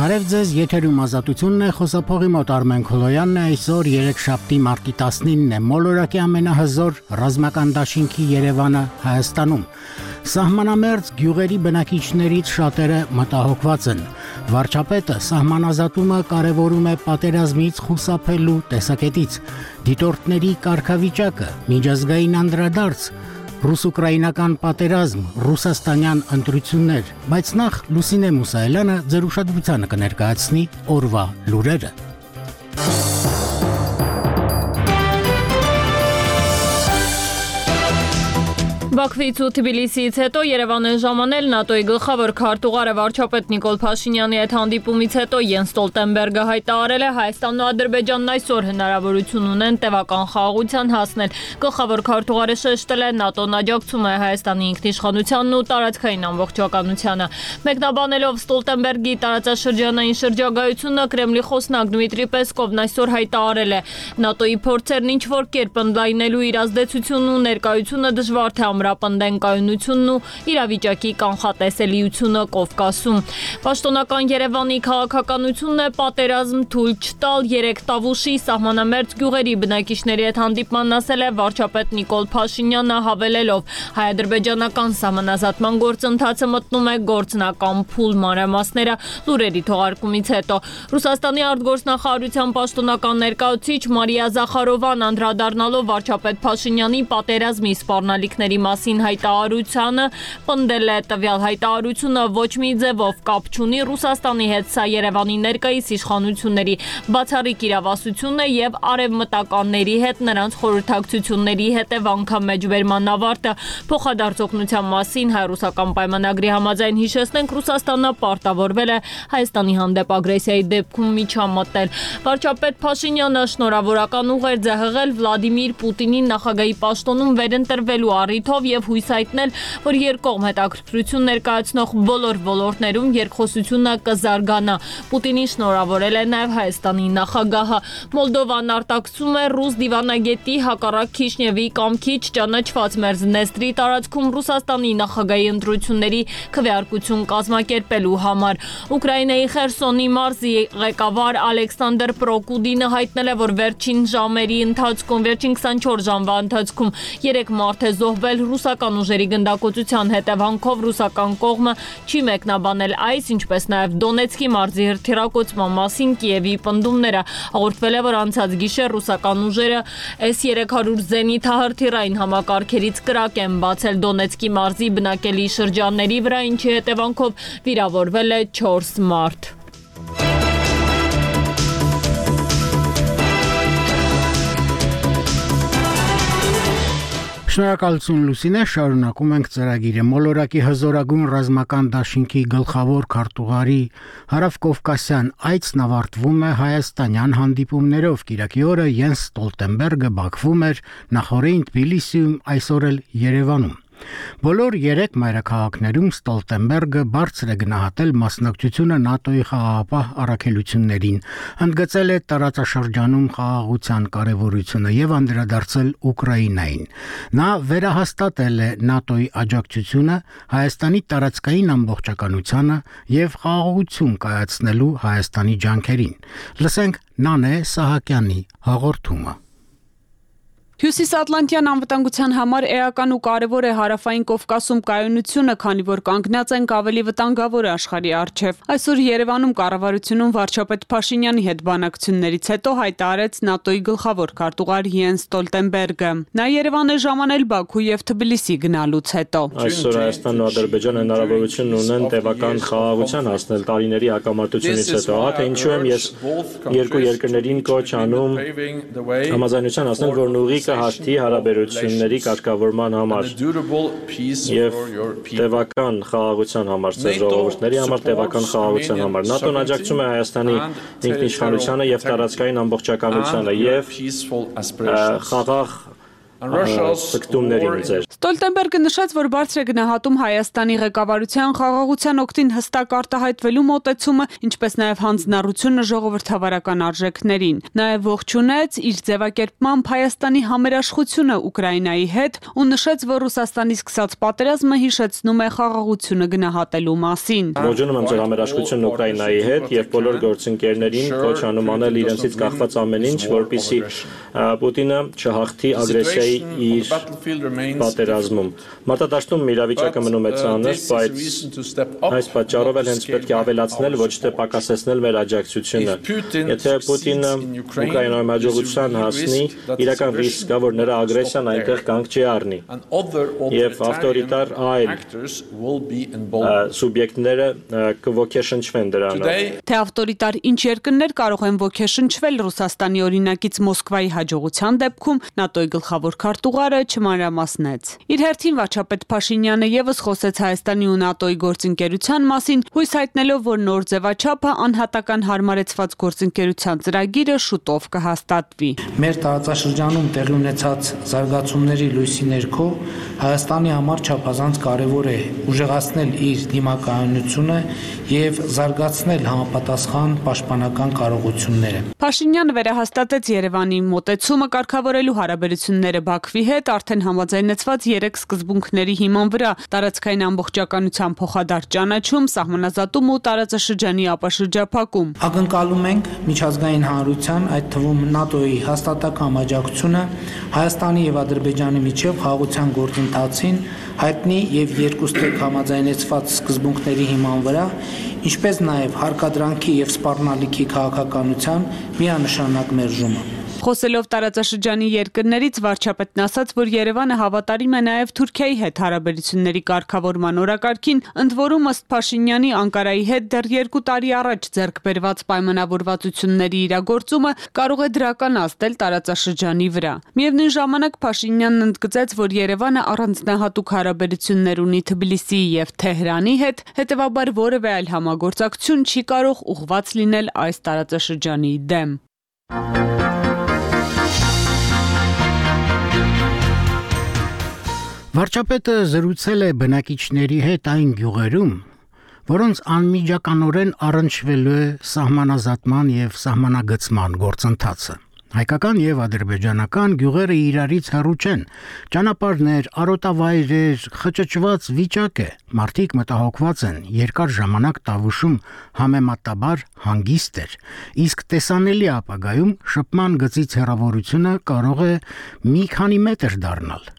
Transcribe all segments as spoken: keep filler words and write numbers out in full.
Բարև ձեզ, եթերում ազատությունն է, խոսափողի մոտ Արմեն Քոլոյանն է, այսօր երեքշաբթի մարտի տասնինն է, մոլորակի ամենահզոր ռազմական դաշինքի Երևանը Հայաստանում։ Սահմանամերձ գյուղերի բնակիչներից շատերը մտահոգված են։ Վարչապետը սահմանազատումը կարևորում է պատերազմից խուսափելու տեսակետից։ Դիտորդների կարգավիճակը, միջազգային անդրադարձ, ռուս-ուկրաինական պատերազմ, ռուսաստանյան ընտրություններ, բայց նախ Լուսինե Մուսայելյանը ձեր ուշադրությանը կներկայացնի օրվա լուրերը։ Բաքվից ու Թբիլիսիից հետո Երևան է ժամանել ՆԱՏՕ-ի գլխավոր քարտուղարը վարչապետ Նիկոլ Փաշինյանի հետ հանդիպումից հետո Յենս Ստոլտենբերգը հայտարարել է Հայաստանն ու Ադրբեջանն այսօր հնարավորություն ունեն տևական խաղաղության հասնել։ Գլխավոր քարտուղարը շեշտել է ՆԱՏՕ-ն աջակցում է Հայաստանի ինքնիշխանությանն ու տարածքային ամբողջականությանը։ Մեկնաբանելով Ստոլտենբերգի տարածաշրջանային շրջագայությունը Կրեմլի խոսնակ Դմիտրի Պեսկովն այսօր հայտարարել է ՆԱՏՕ-ի փորձերն ինչ-որ կերպ ընդլայնելու իր ազդեցությունն ու ներկայությունը դժվար թե ամրապնդեն կայունությունն ու իրավիճակի կանխատեսելիությունը Կովկասում։ Պաշտոնական Երևանի քաղաքականությունն է պատերազմ թույլ չտալ երեք Տավուշի սահմանամերձ գյուղերի բնակիչների հետ հանդիպման ասել է վարչապետ Նիկոլ Փաշինյանը հավելելով հայ-ադրբեջանական սահմանազատման գործընթացը մտնում է գործնական փուլ մանրամասները լուրերի թողարկումից հետո։ Ռուսաստանի արտգործնախարարության պաշտոնական ներկայացուցիչ Մարիա Զախարովան անդրադառնալով վարչապետ Փաշինյանի պատերազմի սպառնալիքների մասին հայտարարությանը պնդել է տվյալ հայտարարությունը ոչ մի ձևով կապ չունի Ռուսաստանի հետ, սա Երևանի ներկայիս իշխանությունների բացառիկ իրավասությունն է եւ արևմտականների հետ նրանց խորհրդակցությունների հետևանքա մեջբերման ավարտը։ Փոխադարձօգնության մասին հայ-ռուսական պայմանագրի համաձայն հիշեցնենք Ռուսաստանը պարտավորվել է Հայաստանի հանդեպ ագրեսիայի դեպքում միջամտել։ Վարչապետ Փաշինյանը շնորհավորական ուղերձ է հղել Վլադիմիր Պուտինին նախագահի պաշտոնում վերընտրվելու առիթով եւ հույս հայտնել, որ երկկողմ հետաքրքրություն ներկայացնող բոլոր ոլորտներում երկխոսությունը կզարգանա։ Պուտինին շնորհավորել է նաեւ Հայաստանի նախագահը։ Մոլդովան արտաքսում է ռուս դիվանագետի հակառակ Քիշնևի կամքի չճանաչված Մերձնեստրի տարածքում Ռուսաստանի նախագահի ընտրությունների քվեարկություն կազմակերպելու համար։ Ուկրաինայի Խերսոնի մարզի ղեկավար Ալեքսանդր Պրոկուդինը հայտնել է, որ վերջին ժամերի ընթացքում, վերջին քսանչորս ժամվա ընթացքում երեք մարդ է զոհվել ռուսական ուժերի գնդակոծության հետևանքով ռուսական կողմը չի մեկնաբանել այս, ինչպես նաև Դոնեցկի մարզի հրթիռակոծման մասին Կիևի պնդումները։ Հաղորդվել է, որ անցած գիշեր ռուսական ուժերը S երեք հարյուր զենիթահրթիռային համակարգերից կրակ են բացել Դոնեցկի մարզի բնակելի շրջանների վրա, ինչի հետևանքով վիրավորվել է չորս մարդ։ Շնորհակալություն Լուսինե, շարունակում ենք ծրագիրը։ Մոլորակի հզորագույն ռազմական դաշինքի գլխավոր քարտուղարի հարավկովկասյան այցն ավարտվում է հայաստանյան հանդիպումներով։ Կիրակի օրը Յենս Ստոլտենբերգը Բաքվում էր, նախորդին Թբիլիսիում, այսօր էլ Երևանում։ Բոլոր երեք մայրաքաղաքներում Ստոլտենբերգը բարձր է գնահատել մասնակցությունը ՆԱՏՕ-ի խաղաղապահ առաքելություններին, ընդգծել է տարածաշրջանում խաղաղության կարևորությունը եւ անդրադարձել Ուկրաինային։ Նա վերահաստատել է ՆԱՏՕ-ի աջակցությունը Հայաստանի տարածքային ամբողջականությանը եւ խաղաղություն կայացնելու Հայաստանի ջանքերին։ Լսենք Նանե Սահակյանի հաղորդումը։ Հյուսիսատլանտյան անվտանգության համար էական ու կարևոր է հարավային Կովկասում կայունությունը, քանի որ կանգնած ենք ավելի վտանգավոր աշխարհի առջև։ Այսօր Երևանում կառավարությունում վարչապետ Փաշինյանի հետ բանակցություններից հետո հայտարարեց ՆԱՏՕ-ի գլխավոր քարտուղար Յենս Ստոլտենբերգը։ Նա Երևան է ժամանել Բաքու եւ Թբիլիսի գնալուց հետո։ Այսօր Հայաստանն ու Ադրբեջանը հնարավորություն ունեն տևական խաղաղության հասնել տարիների հակամարտությունից հետո։ Ահա թե ինչու եմ ես երկու երկրներին կոչ անում համաձայնության հասնել, որն ուղի հաշտի հարաբերությունների կարգավորման համար եւ տևական խաղաղության համար, ժողովուրդների համար տևական խաղաղության համար։ ՆԱՏՕ-ն աջակցում է Հայաստանի ինքնիշխանությանը եւ տարածքային ամբողջականությանը եւ խաղաղ ցկտումներին ձեր։ Ստոլտենբերգը նշեց, որ բարձր է գնահատում Հայաստանի ղեկավարության խաղաղության օգտին հստակ արտահայտվելու մոտեցումը, ինչպես նաև հանձնառությունը ժողովրդավարական արժեքներին։ Նաև ողջունեց իր ձևակերպմամբ Հայաստանի համերաշխությունը Ուկրաինայի հետ ու նշեց, որ Ռուսաստանի սկսած պատերազմը հիշեցնում է խաղաղությունը գնահատելու մասին։ Ողջունում եմ ձեր համերաշխությունն Ուկրաինայի հետ եւ բոլոր գործընկերներին կոչ անում անել իրենցից կախված ամեն ինչ, որպեսզի Պուտինը չհաղթի ագրեսիայի իր պատերազմում։ Մարտադաշտում իրավիճակը մնում է ծանր, բայց այս պատճառով էլ հենց պետք է ավելացնել, ոչ թե պակասեցնել մեր աջակցությունը։ Եթե Պուտինը Ուկրաինայում հաջողության հասնի, իրական ռիսկ կա, որ նրա ագրեսիան այնտեղ կանգ չի առնի։ Եվ ավտորիտար այլ սուբյեկտները կոգեշնչվեն դրանով։ Թե ավտորիտար ինչ երկրներ կարող են ոգեշնչվել Ռուսաստանի օրինակից Մոսկվայի հաջողության դեպքում, ՆԱՏՕ-ի գլխավոր քարտուղարը չմանրամասնեց։ Իր հերթին վարչապետ Փաշինյանը եւս խոսեց Հայաստանի ու ՆԱՏՕ-ի գործընկերության մասին, հույս հայտնելով, որ նոր ձևաչափը անհատական հարմարեցված գործընկերության ծրագիրը շուտով կհաստատվի։ Մեր տարածաշրջանում տեղի ունեցած զարգացումների լույսի ներքո Հայաստանի համար չափազանց կարևոր է ուժեղացնել իր դիմակայունությունը եւ զարգացնել համապատասխան պաշտպանական կարողությունները։ Փաշինյանը վերահաստատեց Երևանի մոտեցումը կարգավորելու հարաբերությունները Բաքվի հետ արդեն համաձայնեցված երեք սկզբունքների հիման վրա՝ տարածքային ամբողջականության փոխադարձ ճանաչում, սահմանազատում ու տարածաշրջանի ապաշրջափակում։ Ակնկալում ենք միջազգային հանրության, այդ թվում ՆԱՏՕ-ի հաստատակամ աջակցությունը Հայաստանի եւ Ադրբեջանի միջև խաղաղության գործընթացին հայտնի եւ երկուստեք համաձայնեցված սկզբունքների հիման վրա, ինչպես նաեւ հարկադրանքի եւ սպառնալիքի քաղաքականության միանշանակ մերժումը։ Խոսելով տարածաշրջանի երկրներից վարչապետն ասաց, որ Երևանը հավատարիմ է նաև Թուրքիայի հետ հարաբերությունների կարգավորման օրակարգին, ընդ որում ըստ Փաշինյանի Անկարայի հետ դեռ երկու տարի առաջ ձեռք բերված պայմանավորվածությունների իրագործումը կարող է դրական ազդել տարածաշրջանի վրա։ Միևնույն ժամանակ Փաշինյանն ընդգծեց, որ Երևանը առանձնահատուկ հարաբերություններ ունի Թբիլիսիի եւ Թեհրանի հետ, հետեւաբար որևէ այլ համագործակցություն չի կարող ուղղված լինել այս տարածաշրջանի դեմ։ Վարչապետը զրուցել է բնակիչների հետ այն գյուղերում, որոնց անմիջականորեն առնչվելու է սահմանազատման եւ սահմանագծման գործընթացը։ Հայկական եւ ադրբեջանական գյուղերը իրարից հեռու չեն, ճանապարհներ, արոտավայրեր, խճճված վիճակ է, մարդիկ մտահոգված են, երկար ժամանակ տավուշում համեմատաբար հանգիստ էր, իսկ տեսանելի ապագայում շփման գծից հեռավորությունը կարող է մի քանի մետր դառնալ։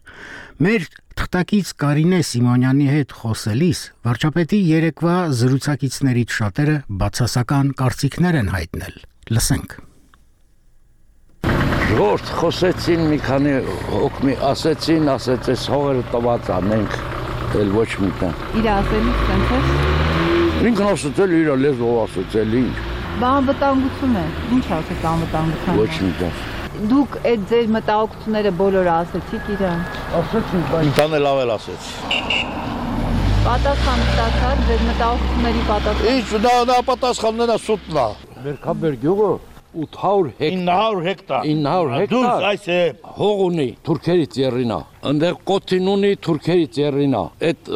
Մեր թղթակից Կարինե Սիմոնյանի հետ խոսելիս վարչապետի երեկվա զրուցակիցներից շատերը բացասական կարծիքներ են հայտնել։ Լսենք։ Ժողովուրդ խոսեցին մի քանի հոգմի ասեցին, ասեցես հողերը տված ա, մենք էլ ոչ մի տան։ Իր ասելիք տենց Ինքն ասեցել իր լեզվով ասեցել ինչ։ Բա անվտանգություն է։ Ինչ ասեք անվտանգություն։ Ոչ մի տան։ Դուք այդ ձեր մտահոգությունները բոլորը ասեցիք իրան։ Ասեցին, բայց տան էլ ավել ասեց։ Պատասխան ստացար ձեր մտահոգությունների պատասխան։ Ինչ դա դա պատասխանն է սուտն է։ Մերքաբեր գյուղը ութ հարյուր հեկտար։ ինը հարյուր հեկտար։ ինը հարյուր հեկտար։ Դուք այս է հող ունի Թուրքերից եռինա։ Այնտեղ կոթին ունի Թուրքերից եռինա։ Այդ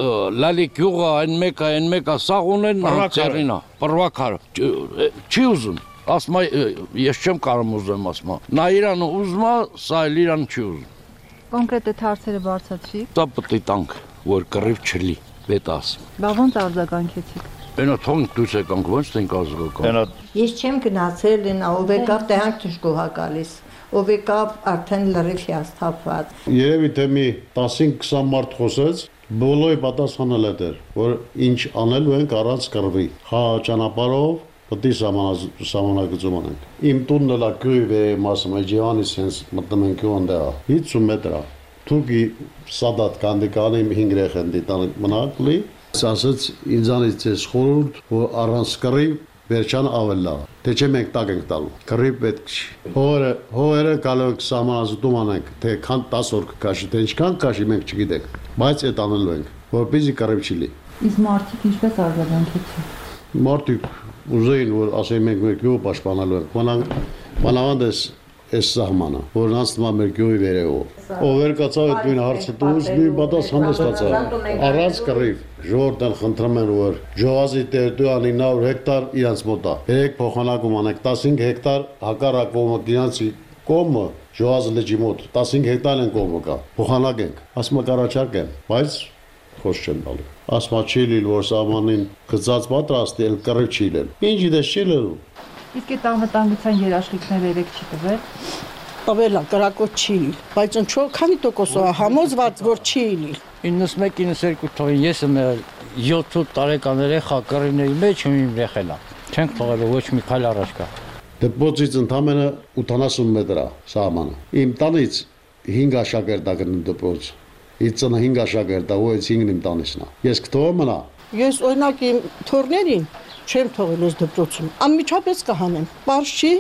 լալի գյուղը այն մեկը, այն մեկը սաղ ունեն եռինա։ Պրվակար։ Չի ուզում։ Ասма ես չեմ կարող ուզեմ ասма։ Նա իրան ուզում է, սա էլ իրան չի ուզում։ Կոնկրետ այդ հարցերը բարձրացրիք։ Դա պետք է տանք, որ կռիվ չլի, պետք ասեմ։ Բա ոնց արձագանքեցիք։ Այնա թոնք դուս եկանք, ոնց ենք ազգական։ Ես չեմ գնացել են ով եկավ տեղանք ճշգոհա գալիս։ Ով եկավ արդեն լրիվ հիասթափված։ Երևի թե մի տասին քսան մարդ խոսեց, բոլորի պատասխանել է դեր, որ ինչ անելու ենք առանց կռվի։ Հա ճանապարհով Պետք է սահմանագծում անենք։ Իմ տունն էլ գյուղի է մասը, Ջիվանից հենց մտնում ենք գյուղը հինգ մետր է։ Թուրքի Սադատ կանդիկանի հինգ երեխան դիտան մնակլի, ասաց ինձանից էս խորհուրդ, որ առանց կռիվ վերջան ավել լավ։ Թե չէ մենք տակ ենք տալու։ Կռիվ պետք չի։ Հողերը, հողերը կարող ենք սահմանազատում անենք, թե քան տասը օր կկաշի, թե ինչքան կաշի մենք չգիտենք, բայց այդ անելու ենք, որպեսզի կռիվ չլինի։ Իսկ մարդիկ ինչպես արձագանքեցին։ Մարդիկ ուզեին, որ ասեն մենք մեր գյուղը պաշտպանելու ենք։ Մանավանդ էս այս սահմանը, որն անցնում է մեր գյուղի վերևով։ Ով էր կացավ այդ նույն հարցը դուրս մի պատասխան ստացավ։ Առանց կռիվ ժողովրդն խնդրում են որ ջոազի տերիտորիան ինը հարյուր հեկտար իրանց մոտ է։ Երեք փոխանակում անեք տասնհինգ հեկտար հակառակումը իրանցի կողմը ջոազի լճի մոտ տասնհինգ հեկտար են կողմը կա։ Փոխանակենք, ասում կառաջարկեմ, բայց խոս չեն տալու։ Ասма չի լինել որ սահմանին գծած պատրաստի էլ կռիվ չի լինել։ Ինչի դες չի լինում։ Իսկ այդ անվտանգության երաշխիքները երեք չի տվել։ Տվել է, կրակոտ չի լինել, բայց ինչո՞, քանի տոկոսով է համոզված, որ չի լինել։ իննսմեկ իննսերկու թողին ես եմ յոթ տարեկան երեխա կռիվների մեջ ու իմ երեխելա։ Չենք թողելու ոչ մի քայլ առաջ գա։ Դպրոցից ընդամենը ութանասուն մետր է սահմանը։ Իմ տանից հինգ աշակերտ է գնում դպրոց։ Իմ ծնը հինգ աշակերտ է, ու հինգն իմ տանիցն է։ Ես կթողեմ մնա։ Ես օրինակ իմ թորներին չեմ թողել ես դպրոցում։ Անմիջապես կհանեմ։ Պարզ չի,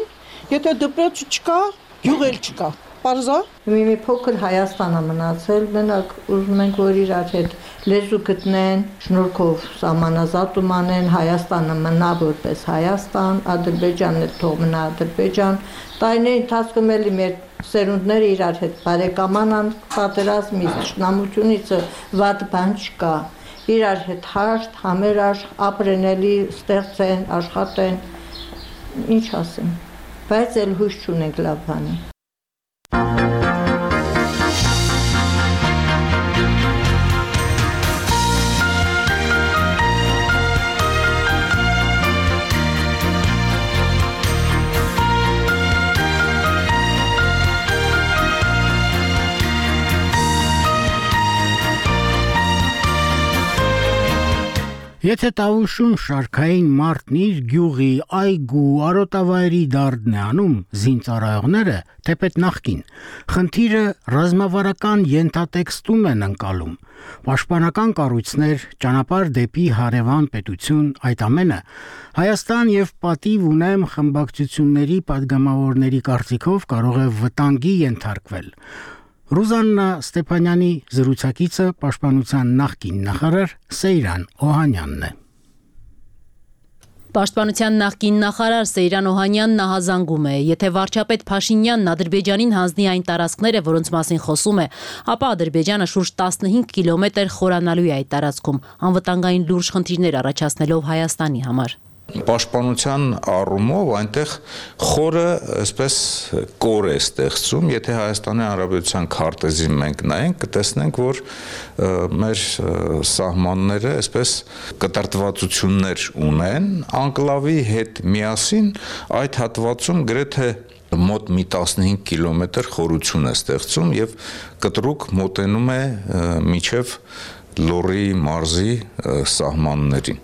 եթե դպրոցը չկա, գյուղ էլ չկա։ Պարզա։ Մի փոքր Հայաստանը մնացել, մենակ ուզում ենք որ իրար հետ լեզու գտնեն, շնորհքով սահմանազատում անեն, Հայաստանը մնա որպես Հայաստան, Ադրբեջանն էլ թող մնա Ադրբեջան։ Տարիների ընթացքում էլի մեր սերունդները իրար հետ բարեկամանան, պատերազմից, ճշնամությունից վատ բան չկա։ Իրար հետ հաշտ, համերաշխ, ապրենելի ստեղծեն, աշխատեն, ինչ ասեմ, բայց էլ հույս չունենք լավ բանի։ Եթե Տավուշում շարքային մարդն իր գյուղի, այգու, արոտավայրի դարդն է անում զինծառայողները, թեպետ նախկին, խնդիրը ռազմավարական ենթատեքստում են ընկալում, պաշտպանական կառույցներ, ճանապարհ դեպի հարևան պետություն, այդ ամենը Հայաստան եւ պատիվ ունեմ խմբակցությունների падգամավորների կարծիքով կարող է վտանգի ենթարկվել։ Ռուզաննա Ստեփանյանի զրուցակիցը պաշտպանության նախկին նախարար Սեյրան Օհանյանն է։ Պաշտպանության նախկին նախարար Սեյրան Օհանյանն ահազանգում է, եթե վարչապետ Փաշինյանն Ադրբեջանին հանձնի այն տարածքները, որոնց մասին խոսում է, ապա Ադրբեջանը շուրջ տասնհինգ կիլոմետր խորանալու է այդ տարածքում, անվտանգային լուրջ խնդիրներ առաջացնելով Հայաստանի համար։ Պաշտպանության առումով այնտեղ խորը այսպես կոր է ստեղծում, եթե Հայաստանի Հանրապետության քարտեզին մենք նայենք, կտեսնենք, որ մեր սահմանները այսպես կտրտվածություններ ունեն, անկլավի հետ միասին այդ հատվածում գրեթե մոտ մի տասնհինգ կիլոմետր խորություն է ստեղծում եւ կտրուկ մոտենում է միջև Լոռի մարզի սահմաններին։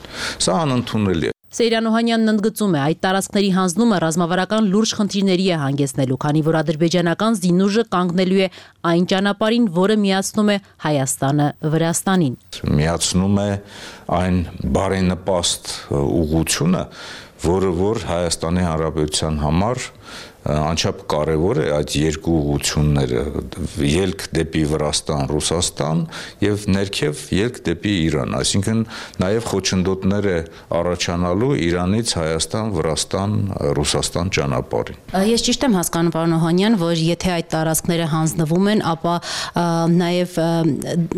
Սա անընդունելի է։ Սեյրան Օհանյանն ընդգծում է, այդ տարածքների հանձնումը ռազմավարական լուրջ խնդիրների է հանգեցնելու, քանի որ ադրբեջանական զինուժը կանգնելու է այն ճանապարհին, որը միացնում է Հայաստանը Վրաստանին։ Միացնում է այն բարենպաստ ուղղությունը, որը որ Հայաստանի Հանրապետության համար անչափ կարևոր է այդ երկու ուղղությունները՝ ելք դեպի Վրաստան, Ռուսաստան եւ ներքև ելք դեպի Իրան, այսինքն նաեւ խոչընդոտներ է առաջանալու Իրանից Հայաստան, Վրաստան, Ռուսաստան ճանապարհին։ Ես ճիշտ եմ հասկանում, պարոն Օհանյան, որ եթե այդ տարածքները հանձնվում են, ապա նաեւ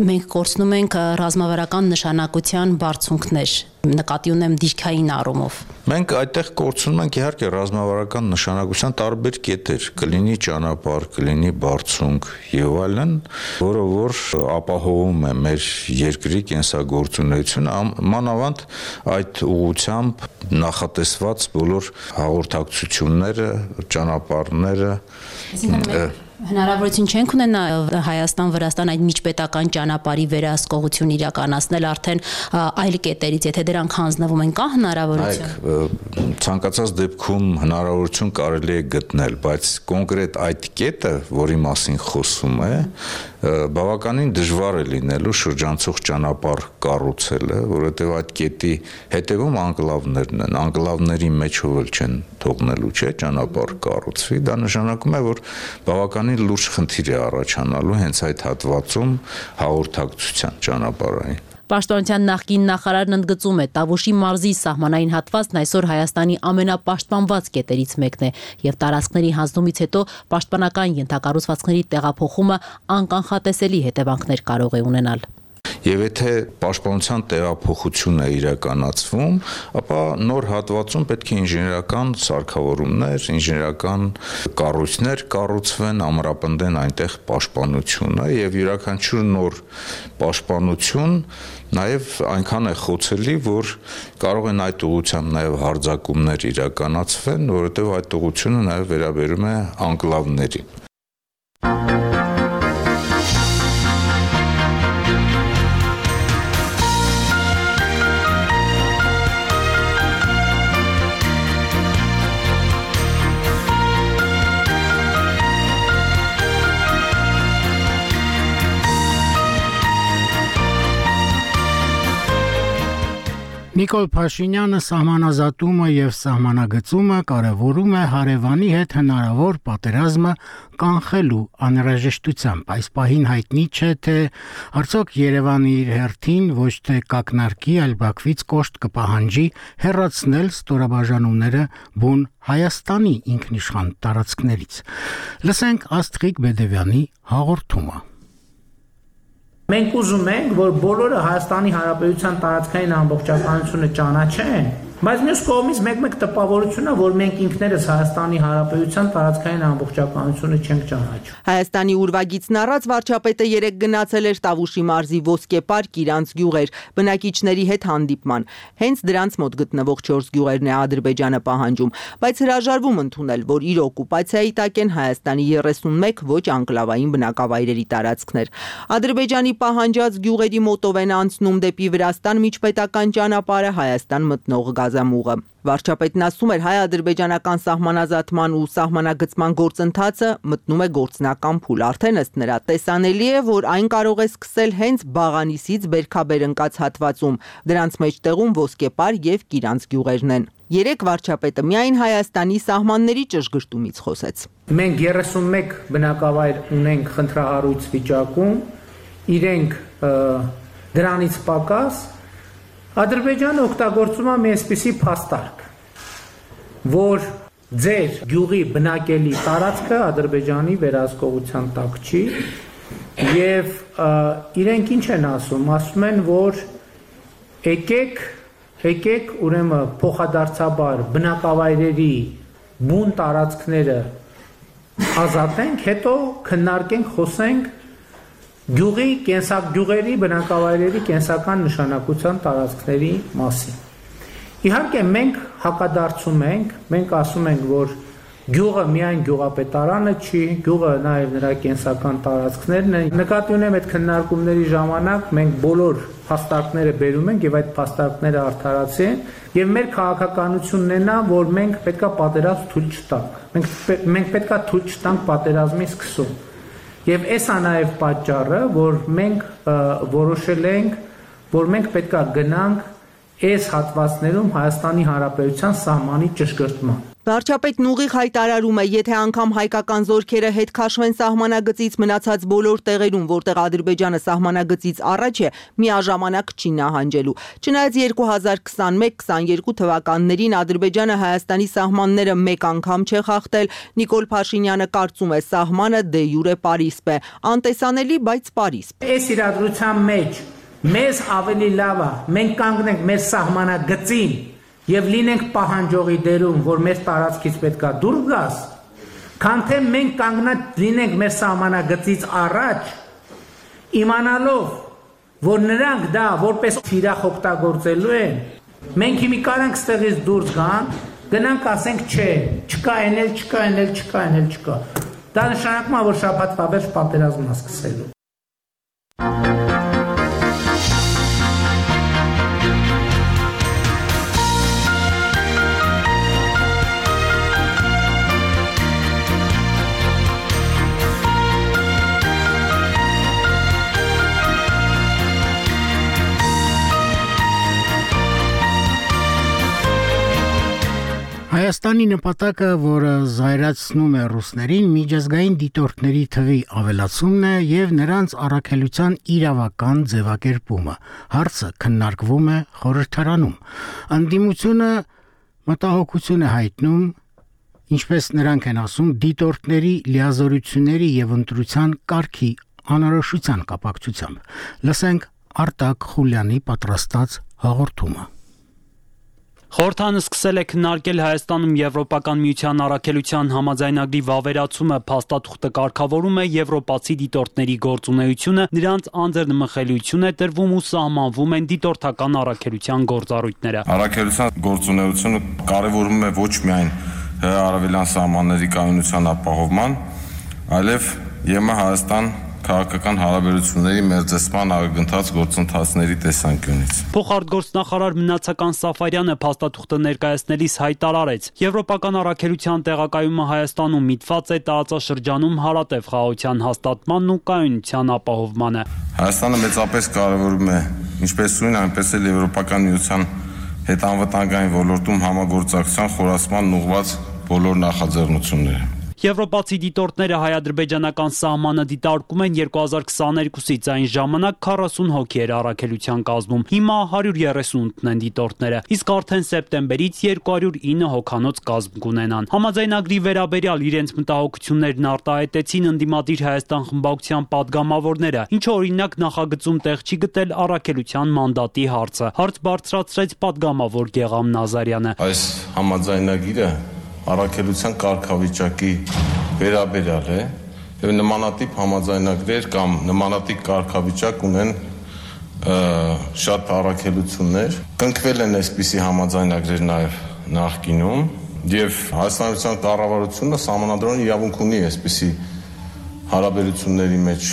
մենք կորցնում ենք ռազմավարական նշանակության բարձունքներ, նկատի ունեմ դիրքային առումով։ Մենք այդտեղ կորցնում ենք իհարկե ռազմավարական նշանակության տարբեր կետեր, կլինի ճանապարհ, կլինի բարձունք եւ այլն, որը որ ապահովում է մեր երկրի կենսագործունեությունը, մանավանդ այդ ուղղությամբ նախատեսված բոլոր հաղորդակցությունները, ճանապարհները Հնարավորություն չենք ունենա Հայաստան-Վրաստան այդ միջպետական ճանապարհի վերահսկողություն իրականացնել արդեն այլ կետերից, եթե դրանք հանձնվում են, կա հնարավորություն։ Ցանկացած դեպքում հնարավորություն կարելի է գտնել, բայց կոնկրետ այդ կետը, որի մասին խոսում է, բավականին դժվար է լինելու շրջանցող ճանապարհ կառուցելը, որովհետև այդ կետի հետևում անկլավներն են, անկլավների մեջով էլ չեն թողնելու, չէ, ճանապարհ կառուցվի, դա նշանակում է, որ բավականին լուրջ խնդիր է առաջանալու հենց այդ հատվածում հաղորդակցության ճանապարհային։ Պաշտպանության նախկին նախարարն ընդգծում է, Տավուշի մարզի սահմանային հատվածն այսօր Հայաստանի ամենապաշտպանված կետերից մեկն է եւ տարածքների հանձնումից հետո պաշտպանական ենթակառուցվածքների տեղափոխումը անկանխատեսելի հետևանքներ կարող է ունենալ։ Եվ եթե պաշտպանության տեղափոխություն է իրականացվում, ապա նոր հատվածում պետք է ինժեներական սարքավորումներ, ինժեներական կառույցներ կառուցվեն, ամրապնդեն այնտեղ պաշտպանությունը եւ յուրաքանչյուր նոր պաշտպանություն նաև այնքան է խոցելի, որ կարող են այդ ուղղությամբ նաև հարձակումներ իրականացվեն, որովհետեւ այդ ուղղությունը նաև վերաբերում է անկլավներին։ Նիկոլ Փաշինյանը սահմանազատումը եւ սահմանագծումը կարևորում է հարևանի հետ հնարավոր պատերազմը կանխելու անհրաժեշտությամբ։ Այս պահին հայտնի չէ, թե արդյոք Երևանը իր հերթին ոչ թե կակնարկի, այլ Բաքվից կոշտ կպահանջի հեռացնել ստորաբաժանումները բուն Հայաստանի ինքնիշխան տարածքներից։ Լսենք Աստղիկ Բեդևյանի հաղորդումը։ Մենք ուզում ենք, որ բոլորը Հայաստանի Հանրապետության տարածքային ամբողջականությունը ճանաչեն, բայց մյուս կողմից մեկ-մեկ տպավորությունն է, որ մենք ինքներս Հայաստանի Հանրապետության տարածքային ամբողջականությունը չենք ճանաչում։ Հայաստանի ուրվագիծն առած վարչապետը երեկ գնացել էր Տավուշի մարզի Ոսկե պարկ իրանց գյուղեր, բնակիչների հետ հանդիպման։ Հենց դրանց մոտ գտնվող չորս գյուղերն է Ադրբեջանը պահանջում, բայց հրաժարվում ընդունել, որ իր օկուպացիայի տակ են Հայաստանի երեսունմեկ ոչ անկլավային բնակավայրերի տարածքներ։ Ադրբեջանի պահանջած գյուղերի մոտով են անցնում դեպի Վրաստան միջպետական ճանապարհը Հայաստան մտնող գազամուղը։ Վարչապետն ասում էր, հայ-ադրբեջանական սահմանազատման ու սահմանագծման գործընթացը մտնում է գործնական փուլ։ Արդեն ըստ նրա տեսանելի է, որ այն կարող է սկսել հենց Բաղանիսից Բերքաբեր ընկած հատվածում, դրանց մեջտեղում Ոսկեպար եւ Կիրանց գյուղերն են։ Երեք վարչապետը միայն Հայաստանի սահմանների ճշգրտումից խոսեց։ Մենք երեսունմեկ բնակավայր ունենք խնդրահարույց վիճակում, իրենք դրանից պակաս Ադրբեջանը օգտագործում է մի այսպիսի փաստարկ, որ ձեր գյուղի բնակելի տարածքը Ադրբեջանի վերահսկողության տակ չի եւ իրենք ինչ են ասում, ասում են, որ եկեք, եկեք ուրեմն փոխադարձաբար բնակավայրերի բուն տարածքները ազատենք, հետո քննարկենք, խոսենք գյուղի կենսակ գյուղերի բնակավայրերի կենսական նշանակության տարածքների մասին։ Իհարկե մենք հակադարձում ենք, մենք ասում ենք, որ գյուղը միայն գյուղապետարանը չի, գյուղը նաև նրա կենսական տարածքներն են։ Նկատի ունեմ այդ քննարկումների ժամանակ մենք բոլոր փաստարկները բերում ենք եւ այդ փաստարկները արդարացին եւ մեր քաղաքականությունն է նա, որ մենք պետքա պատերազմ թույլ չտանք։ Մենք մենք պետքա թույլ չտանք պատերազմի սկսում։ Եվ էսա նաև պատճառը, որ մենք որոշել ենք, որ մենք պետք է գնանք այս հատվածներում Հայաստանի Հանրապետության սահմանի ճշգրտման։ Վարչապետն ուղիղ հայտարարում է, եթե անգամ հայկական զորքերը հետ քաշվեն սահմանագծից մնացած բոլոր տեղերում, որտեղ Ադրբեջանը սահմանագծից առաջ է, միաժամանակ չի նահանջելու։ Չնայած երկու հազար քսանմեկ քսաներկու թվականներին Ադրբեջանը Հայաստանի սահմանները մեկ անգամ չէ խախտել, Նիկոլ Փաշինյանը կարծում է, սահմանը դե յուրե պարիսպ է, անտեսանելի, բայց պարիսպ։ Այս իրադրության մեջ մեզ ավելի լավ է, մենք կանգնենք մեր սահմանագծին եւ լինենք պահանջողի դերում, որ մեր տարածքից պետքա դուրս գաս, քան թե մենք կանգնած լինենք մեր սահմանագծից առաջ, իմանալով, որ նրանք դա որպես թիրախ օգտագործելու են, մենք հիմի կարանք ստեղից դուրս գան, գնանք ասենք չէ, չկա էնել, չկա էնել, չկա էնել, չկա։ Դա նշանակում է, որ շաբաթվա վերջ պատերազմն է սկսելու։ Հայաստանի նպատակը, որը զայրացնում է ռուսներին, միջազգային դիտորդների թվի ավելացումն է եւ նրանց առաքելության իրավական ձևակերպումը։ Հարցը քննարկվում է խորհրդարանում։ Անդիմությունը մտահոգություն է հայտնում, ինչպես նրանք են ասում, դիտորդների լիազորությունների եւ ընտրության կարգի անորոշության կապակցությամբ։ Լսենք Արտակ Խուլյանի պատրաստած հաղորդումը։ Խորհրդանը սկսել է քննարկել Հայաստանում Եվրոպական միության առաքելության համաձայնագրի վավերացումը, փաստաթուղթը կարգավորում է եվրոպացի դիտորդների գործունեությունը, նրանց անձեռնմխելիություն է տրվում ու սահմանվում են դիտորդական առաքելության գործառույթները։ Առաքելության գործունեությունը կարևորում է ոչ միայն հարավելյան սահմանների կայունության ապահովման, այլև ԵՄ Հայաստան քաղաքական հարաբերությունների մերձեցման ագնթած գործընթացների տեսանկյունից։ Փոխարտգործնախարար Մնացական Սաֆարյանը փաստաթուղթը ներկայացնելիս հայտարարեց. Եվրոպական առաքելության տեղակայումը Հայաստանում միտված է տարածաշրջանում հարատև խաղաղության հաստատմանն ու կայունության ապահովմանը։ Հայաստանը մեծապես կարևորում է ինչպես նույն, այնպես էլ Եվրոպական միության հետ անվտանգային ոլորտում համագործակցության խորացման ուղղված բոլոր նախաձեռնությունները։ Եվրոպացի դիտորդները հայ-ադրբեջանական սահմանը դիտարկում են երկու հազար քսաներկուսից, այն ժամանակ քառասուն հոգի էր առաքելության կազմում, հիմա հարյուր երեսունութն են դիտորդները, իսկ արդեն սեպտեմբերից երկու հարյուր ինը հոգանոց կազմ կունենան։ Համաձայնագրի վերաբերյալ իրենց մտահոգություններն արտահայտեցին ընդդիմադիր Հայաստան խմբակցության падգամավորները, ինչը օրինակ նախագծում տեղ չի գտել առաքելության մանդատի հարցը։ Հարց բարձրացրեց падգամավոր Գեգամ Նազարյանը։ Այս համաձայնագիրը առաքելության կարգավիճակի վերաբերյալ է եւ նմանատիպ համաձայնագրեր կամ նմանատիպ կարգավիճակ ունեն շատ առաքելություններ, կնքվել են այսպիսի համաձայնագրեր նաեւ նախկինում եւ Հայաստանության կառավարությունը սահմանադրական իրավունք ունի այսպիսի հարաբերությունների մեջ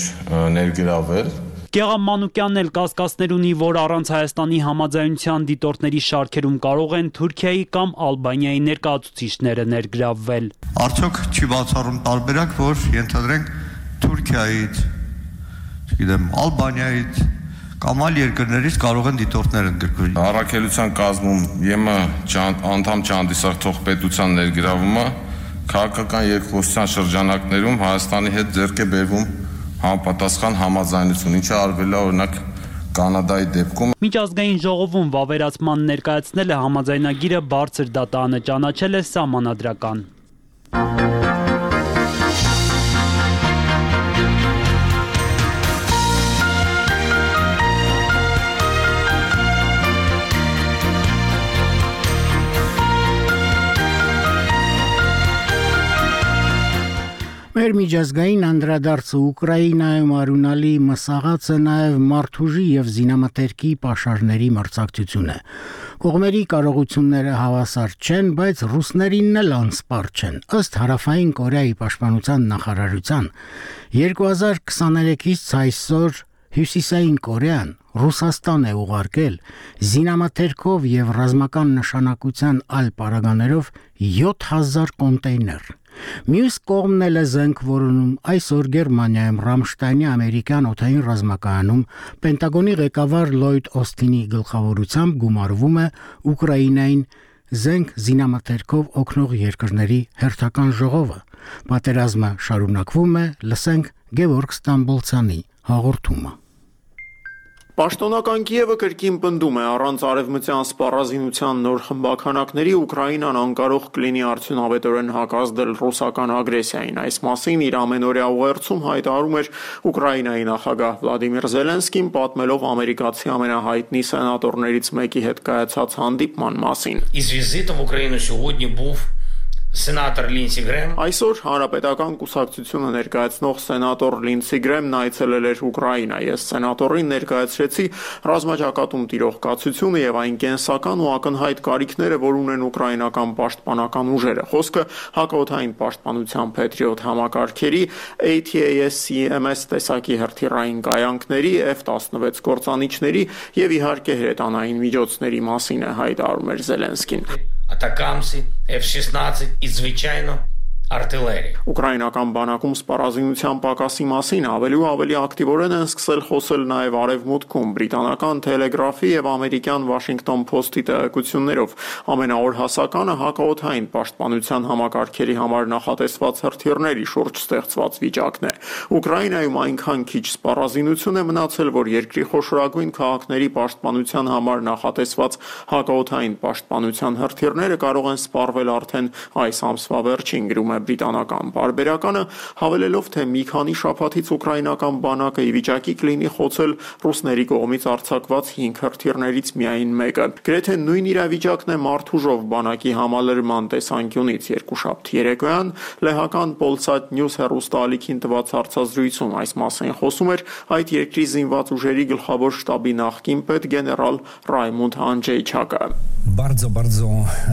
ներգրավել։ Գեգամ Մանուկյանն էլ կասկածներ ունի, որ առանց Հայաստանի համաձայնության դիտորդների շարքերում կարող են Թուրքիայի կամ Ալբանիայի ներկայացուցիչները ներգրավվել։ Արդյոք չի բացառում տարբերակ, որ ենթադրենք Թուրքիայից, չգիտեմ, Ալբանիայից կամ այլ երկրներից կարող են դիտորդներ ընդգրկվել։ Առաքելության կազմում ԵՄ անդամ չհանդիսացող պետության ներգրավումը քաղաքական երկխոսության շրջանակներում Հայաստանի հետ ձեռք է բերվում համապատասխան համաձայնություն, ինչը արվել է օրինակ Կանադայի դեպքում։ Միջազգային ժողովում վավերացման ներկայացնելը համաձայնագիրը բարձր դատանը ճանաչել է սահմանադրական։ Մեր միջազգային անդրադարձը Ուկրաինայում արունալի մսաղած է նաև մարդուժի եւ զինամթերքի պաշարների մրցակցություն է։ Կողմերի կարողությունները հավասար չեն, բայց ռուսներինն էլ անսպառ չեն։ Ըստ Հարավային Կորեայի պաշտպանության նախարարության երկու հազար քսաներեքից այսօր Հյուսիսային Կորեան Ռուսաստան է ուղարկել զինամթերքով եւ ռազմական նշանակության այլ պարագաներով յոթ հազար կոնտեյներ։ Մյուս կողմն էլ է զենք որոնում այսօր Գերմանիայում Ռամշտայնի ամերիկյան օդային ռազմակայանում Պենտագոնի ղեկավար Լոյդ Օստինի գլխավորությամբ գումարվում է Ուկրաինային զենք զինամթերքով օգնող երկրների հերթական ժողովը։ Պատերազմը շարունակվում է, լսենք Գևորգ Ստամբոլցյանի հաղորդումը։ Պաշտոնական Կիևը կրկին պնդում է առանց արևմտյան սպառազինության նոր խմբականակների Ուկրաինան անկարող կլինի արդյունավետորեն հակազդել ռուսական ագրեսիային։ Այս մասին իր ամենօրյա ուղերձում հայտարարում էր Ուկրաինայի նախագահ Վլադիմիր Զելենսկին, պատմելով ամերիկացի ամենահայտնի սենատորներից մեկի հետ կայացած հանդիպման մասին։ Із візитом в Україну сьогодні був Սենատոր Լինսի Գրեմ Այսօր հանրապետական կուսակցությունը ներկայացնող սենատոր Լինսի Գրեմն այցելել էր Ուկրաինա։ Ես սենատորին ներկայացրեցի ռազմաճակատում տիրող կացությունը եւ այն կենսական ու ակնհայտ կարիքները, որ ունեն ուկրաինական պաշտպանական ուժերը։ Խոսքը հակաօդային պաշտպանության Patriot համակարգերի, A T A S C M S տեսակի հրթիռային կայանքների, F տասնվեց կործանիչների եւ իհարկե հրետանային միջոցների մասին է հայտարարում էր Զելենսկին։ Атакамси, F шістнадцять і, звичайно, артиллерии. Ուկրաինական բանակում սպառազինության պակասի մասին ավելի ու ավելի ակտիվորեն են սկսել խոսել նաև արևմուտքում բրիտանական Telegraph-ի եւ ամերիկյան Washington Post-ի տեղեկություններով։ Ամենաօր հասականը հակաօդային պաշտպանության համակարգերի համար նախատեսված հրթիռների շուրջ ստեղծված վիճակն է։ Ուկրաինայում այնքան քիչ սպառազինություն է մնացել, որ երկրի խոշորագույն քաղաքների պաշտպանության համար նախատեսված հակաօդային պաշտպանության հրթիռները կարող են սպառվել արդեն այս ամսվա վերջին, գրում է բրիտանական պարբերականը, հավելելով, թե մի քանի շաբաթից ուկրաինական բանակը ի վիճակի կլինի խոցել ռուսների կողմից արձակված հինգ հրթիռներից միայն մեկը։ Գրեթե նույն իրավիճակն է մարդուժով բանակի համալրման տեսանկյունից երկուշաբթի երեկոյան լեհական Polsat News հեռուստաալիքին տված հարցազրույցում այս մասին խոսում էր այդ երկրի զինված ուժերի գլխավոր շտաբի նախկին պետ գեներալ Ռայմոնդ Անջեյչակը։ Bardzo, bardzo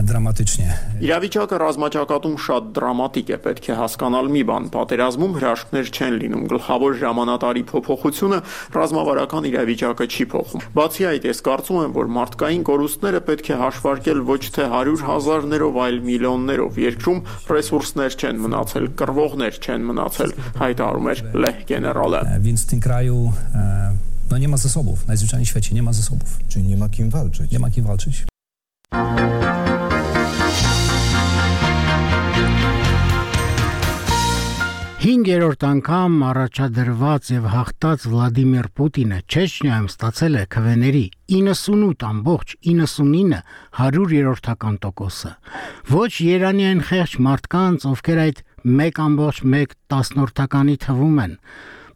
dramatycznie. Իրավիճակը ռազմաճակատում շատ դրամատիկ է, պետք է հասկանալ մի բան, պատերազմում հրաշքներ չեն լինում, գլխավոր հրամանատարի փոփոխությունը ռազմավարական իրավիճակը չի փոխում։ Բացի այդ, ես կարծում եմ, որ մարդկային կորուստները պետք է հաշվարկել ոչ թե հարյուր հազարներով, այլ միլիոններով, երկրում ռեսուրսներ չեն մնացել, կռվողներ չեն մնացել, հայտարարում էր լեհ գեներալը։ Więc w tym kraju no nie ma zasobów, najzwyczajniej w świecie nie ma zasobów. Czyli nie ma kim walczyć. Nie ma kim walczyć. Հինգերորդ անգամ առաջադրված եւ հաղթած Վլադիմիր Պուտինը Չեչնիայում ստացել է քվեների իննսունութ ամբողջ իննսունինը հարյուրերորդական տոկոսը։ Ոչ Երանյան խեղճ մարդկանց, ովքեր այդ մեկ ամբողջ մեկ տասնորդականի թվում են։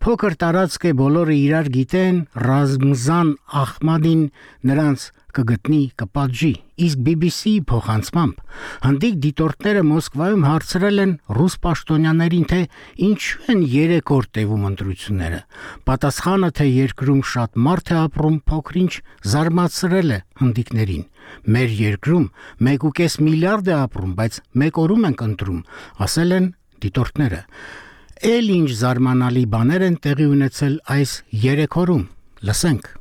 Փոքր տարածք է, բոլորը իրար գիտեն, Ռազմզան Ախմադին նրանց կգտնի, կպատժի, իսկ B B C-ի փոխանցմամբ հնդիկ դիտորդները Մոսկվայում հարցրել են ռուս պաշտոնյաներին, թե ինչու են երեք օր տևում ընտրությունները։ Պատասխանը, թե երկրում շատ մարդ է ապրում, փոքրինչ զարմացրել է հնդիկներին։ Մեր երկրում մեկ ու կես միլիարդ է ապրում, բայց մեկ օրում ենք ընտրում, ասել են դիտորդները։ Էլ ինչ զարմանալի բաներ են տեղի ունեցել այս երեք օրում։ Լսենք։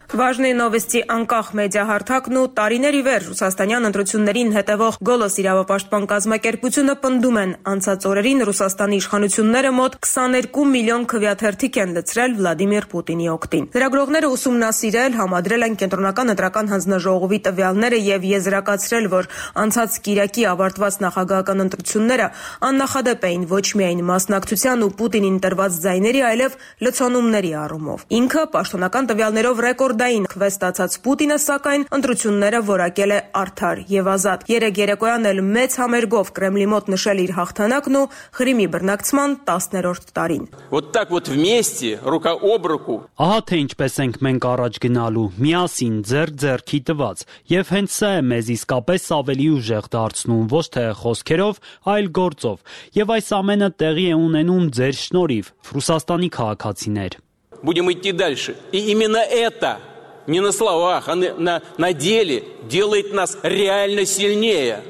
Важные новости անկախ մեդիա հարթակն ու տարիների վեր ռուսաստանյան ընտրություններին հետևող Գոլոս իրավապաշտպան կազմակերպությունը պնդում են անցած օրերին Ռուսաստանի իշխանությունները մոտ քսաներկու միլիոն քվեաթերթիկ են լցրել Վլադիմիր Պուտինի օգտին։ Լրագրողները ուսումնասիրել, համադրել են կենտրոնական ընտրական հանձնաժողովի տվյալները եւ եզրակացրել, որ անցած կիրակի ավարտված նախագահական ընտրությունները աննախադեպ էին ոչ միայն մասնակցության ու Պուտինին տրված ձայների, այլև լցոնումների առումով։ Ինքը պաշտոնական տվյալներով ռեկորդ Դային քվե ստացած Պուտինը, սակայն ընտրությունները որակել է արդար եւ ազատ։ Երեք երեկոյան էլ մեծ համերգով Կրեմլի մոտ նշել իր հաղթանակն ու Ղրիմի բռնակցման տասներորդ տարին։ Вот так вот вместе, рука об руку. Ահա թե ինչպես ենք մենք առաջ գնալու, միասին ձեռք ձեռքի տված, եւ հենց սա է մեզ իսկապես ավելի ուժեղ դարձնում, ոչ թե խոսքերով, այլ գործով։ Եվ այս ամենը տեղի է ունենում ձեր շնորհիվ, Ռուսաստանի քաղաքացիներ։ Будем идти дальше. И именно это, не на словах, а на, на деле, делает нас реально сильнее.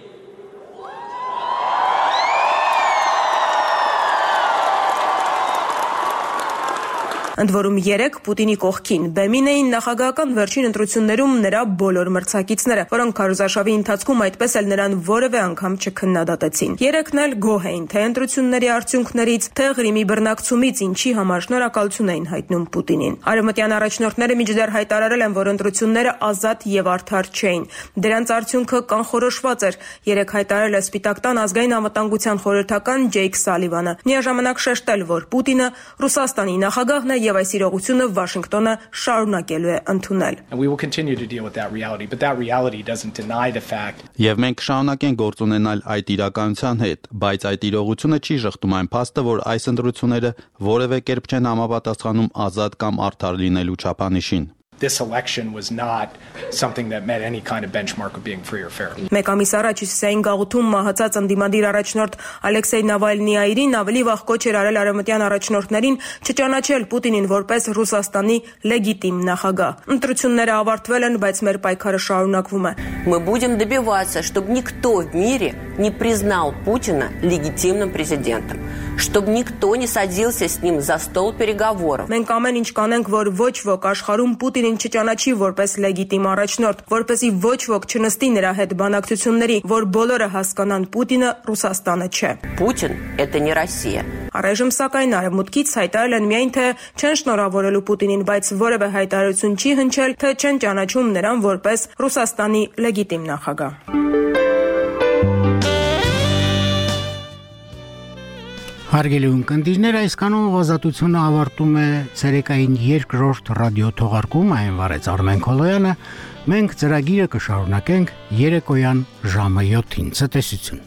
Ընդ որում երեք Պուտինի կողքին բեմին էին նախագահական վերջին ընտրություններում նրա բոլոր մրցակիցները, որոնք քարոզարշավի ընթացքում այդպես էլ նրան որևէ անգամ չքննադատեցին։ Երեքն էլ գոհ էին թե ընտրությունների արդյունքներից, թե Ղրիմի բռնակցումից, ինչի համար շնորհակալություն էին հայտնում Պուտինին։ Արևմտյան առաջնորդները մինչդեռ հայտարարել են, որ ընտրությունները ազատ եւ արդար չէին։ Դրանց արդյունքը կանխորոշված էր, երեք հայտարարել է Սպիտակ տան ազգային անվտանգության խորհրդական Ջեյք Սալիվանը։ Միաժամանակ շեշտել, որ Պուտինը Ռուսաստանի նախագահն է եւ այս իրողությունը Վաշինգտոնը շարունակելու է ընդունել։ Եվ մենք կշարունակենք գործ ունենալ այդ իրականության հետ, բայց այդ իրողությունը չի շղթում այն փաստը, որ այս ընտրությունները որևէ կերպ չեն համապատասխանում ազատ կամ արդար լինելու չափանիշին։ This election was not something that met any kind of benchmark of being free or fair. Մեկ ամիս առաջ Հյուսիսային գաղութում մահացած ընդդիմադիր առաջնորդ Ալեքսեյ Նավալնիային ավելի վաղ կոչ էր արել արևմտյան առաջնորդներին չճանաչել Պուտինին որպես Ռուսաստանի լեգիտիմ նախագահ։ Ընտրությունները ավարտվել են, բայց մեր պայքարը շարունակվում է։ Мы будем добиваться, чтобы никто в мире не признал Путина легитимным президентом, чтобы никто не садился с ним за стол переговоров. Մենք ամեն ինչ կանենք, որ ոչ ոք աշխարհում Պուտինին չճանաչի որպես լեգիտիմ առաջնորդ, որպեսզի ոչ ոք չնստի նրա հետ բանակցությունների, որ բոլորը հասկանան Պուտինը Ռուսաստանը չէ։ Путин это не Россия. Առայժմ սակայն արևմուտքից հայտարարել են միայն թե չեն շնորհավորելու Պուտինին, բայց որևէ հայտարարություն չի հնչել, թե չեն ճանաչում նրան որպես Ռուսաստանի լեգիտիմ նախագահ։ Հարգելի ունկնդիրներ, այսքանով ազատությունը ավարտում է ցերեկային երկրորդ ռադիո թողարկումը, այն վարեց Արմեն Քոլոյանը։ Մենք ծրագիրը կշարունակենք երեկոյան ժամը յոթին։ Ցտեսություն։